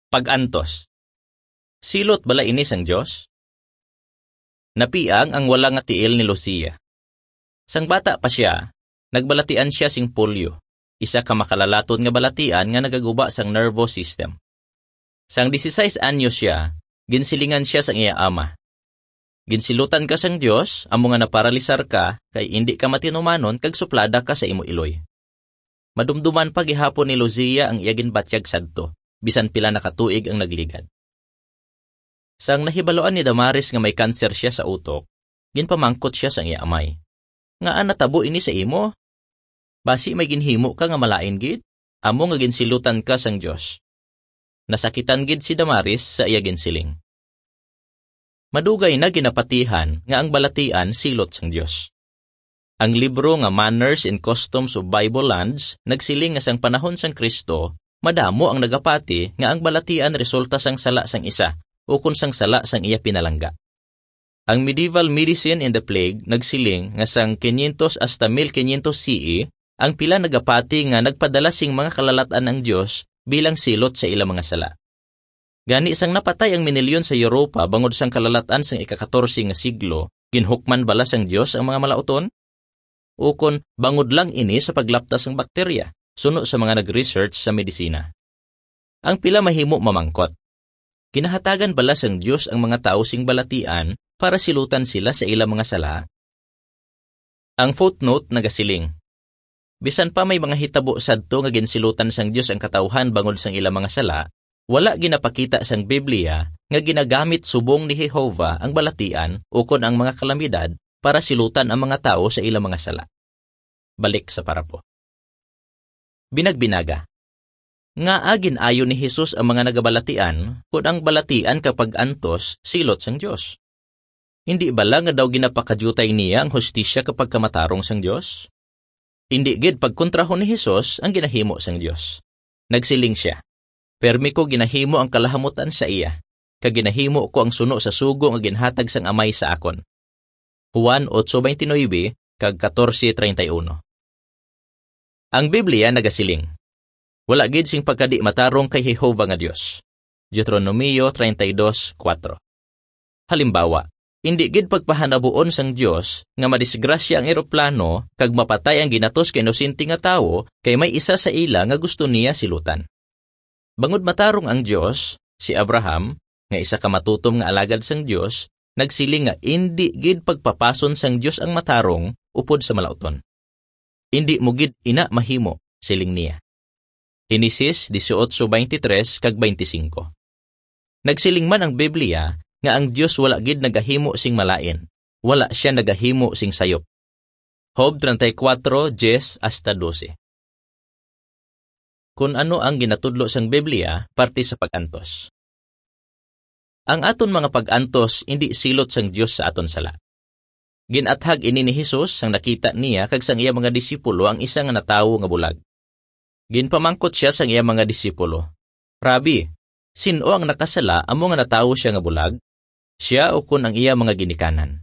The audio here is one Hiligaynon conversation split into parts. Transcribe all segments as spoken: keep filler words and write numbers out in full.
Pag-antos. Silot bala ini sang Dios? Napiang ang wala nga tiil ni Lucia. Sang bata pa sia, nagbalatian sia sing polio, isa ka makalalaton nga balatian nga nagaguba sang nervous system. Sang dieciséis anyos sia, ginsilingan sia sang iya ama, "Ginsilutan ka sang Dios, amo nga naparalisar ka, kay indi ka matinumanon kag suplada ka sa imo iloy." Madumduman pa gihapon ni Lucia ang iya ginbatyag sadto, bisan pila na ka tuig ang nagligad. Sang nahibaluan ni Damaris nga may kanser sia sa utok, ginpamangkot sia sang iya amay, "Ngaa natabo ini sa imo? Basi may ginhimo ka nga malain gid, amo nga ginsilutan ka sang Dios." Nasakitan gid si Damaris sa iya ginsiling. Madugay na ginapatihan nga ang balatian silot sang Dios. Ang libro nga Manners and Customs of Bible Lands nagsiling nga sang panahon sang Cristo, madamo ang nagapati nga ang balatian resulta sang sala sang isa ukon sang sala sang iya pinalangga. Ang Medieval Medicine and the Plague nagsiling nga sang quinientos hasta mil quinientos C E, ang pila nagapati nga nagpadala sing mga kalalat-an ang Dios bilang silot sa ila mga sala. Gani, sang napatay ang minilyon sa Europa bangod sang kalalat-an sang ika-katorse nga siglo, ginhukman bala sang Dios ang mga malauton? Ukon bangod lang ini sa paglapta sang bakterya, suno sa mga nag-research sa medisina? Ang pila mahimo mamangkot, ginahatagan bala sang Dios ang mga tawo sing balatian para silutan sila sa ila mga sala? Ang footnote nagasiling, "Bisan pa may mga hitabo sadto nga ginsilutan sang Dios ang katawuhan bangod sang ila mga sala, wala ginapakita sang Biblia nga ginagamit subong ni Jehovah ang balatian ukon ang mga kalamidad para silutan ang mga tawo sa ila mga sala." Balik sa parapo. Binagbinaga. Ngaa gin-ayo ni Jesus ang mga nagabalatian, kun ang balatian kag pag-antos silot sang Dios? Indi bala nga daw ginapakadiutay niya ang hustisya kag pagkamatarong sang Dios? Indi gid pagkontrahon ni Jesus ang ginahimo sang Dios. Nagsiling sia, "Permi ko ginahimo ang kalahamutan sa iya, kag ginahimo ko ang suno sa sugo nga ginhatag sang Amay sa akon." Juan ocho veintinuebe kag catorce treinta y uno. Ang Biblia nagasiling, "Wala gid sing pagkadi-matarong kay Jehovah nga Dios." Deuteronomio treinta y dos cuatro. Halimbawa, indi gid pagpahanabuon sang Dios nga madisgrasya ang eroplano kag mapatay ang ginatos ka inosente nga tawo kay may isa sa ila nga gusto niya silutan. Bangod matarong ang Dios, si Abraham, nga isa ka matutom nga alagad sang Dios, nagsiling nga indi gid pagpapason sang Dios ang matarong upod sa malauton. "Indi mo gid ina mahimo," siling niya. Henesis dieciocho veintitrés kag veinticinco. Nagsiling man ang Biblia nga ang Dios wala gid nagahimo sing malain, wala sia nagahimo sing sayop. Job treinta y cuatro diez hasta doce. Kun ano ang ginatudlo sang Biblia parte sa pag-antos. Ang aton mga pag-antos indi silot sang Dios sa aton sala. Gin-athag ini ni Jesus sang nakita niya kag sang iya mga disipulo ang isa nga natawo nga bulag. Ginpamangkot sia sang iya mga disipulo, "Rabi, sin-o ang nakasala amo nga natawo sia nga bulag? Sia ukon ang iya mga ginikanan?"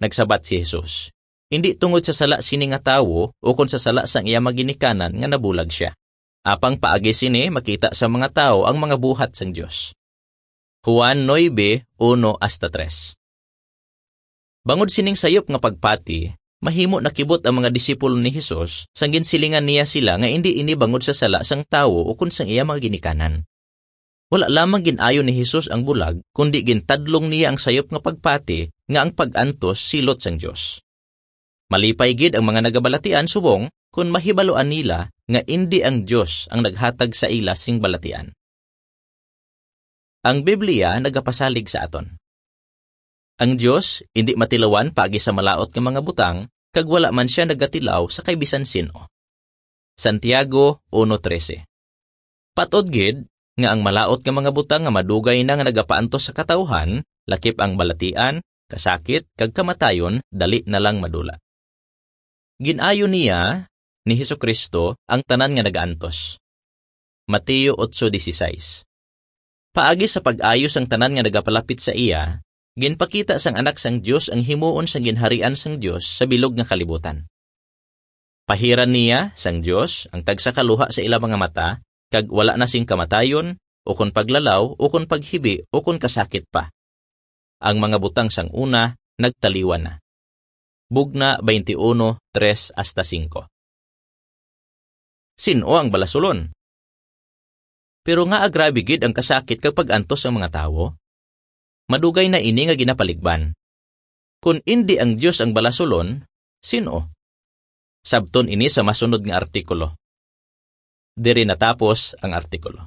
Nagsabat si Jesus, "Indi tungod sa sala sini nga tawo ukon sa sala sang iya mga ginikanan nga nabulag sia. Apang paagi sini makita sa mga tawo ang mga buhat sang Dios." Juan nuebe, uno hasta tres. Bangod sining sayop nga pagpati, mahimo nakibot ang mga disipulo ni Jesus sang ginsilingan niya sila nga indi ini bangod sa sala sang tawo ukon sang iya mga ginikanan. Wala lamang gin-ayo ni Jesus ang bulag, kundi gintadlong niya ang sayop nga pagpati nga ang pag-antos silot sang Dios. Malipay gid ang mga nagabalatian subong kon mahibaluan nila nga indi ang Dios ang naghatag sa ila sing balatian. Ang Biblia nagapasalig sa aton. Ang Dios indi matilawan paagi sa malaut nga mga butang, kag wala man sia nagatilaw sa kay bisan sin-o. Santiago uno trese. Patod gid nga ang malaut nga mga butang nga madugay na nga nagapaantos sa katawuhan, lakip ang balatian, kasakit, kag kamatayon, dali na lang madula. Gin-ayo niya, ni Jesu-Cristo, ang tanan nga nagaantos. Mateo ocho dieciséis. Paagi sa pag-ayo sang tanan nga nagapalapit sa iya, ginpakita sang Anak sang Dios ang himuon sang Ginharian sang Dios sa bilog nga kalibutan. Pahiran niya sang Dios ang tagsa ka luha sa ila mga mata, kag wala na sing kamatayon, ukon paglalaw, ukon paghibi, ukon kasakit pa. Ang mga butang sang una nagtaliwan na. Bugna twenty-one, tres hasta singko. Sin-o ang balasulon? Pero ngaa grabe gid ang kasakit kag pag-antos sang mga tawo? Madugay na ini nga ginapaligban. Kon indi ang Dios ang balasulon, sin-o? Sabton ini sa masunod nga artikulo. Diri natapos ang artikulo.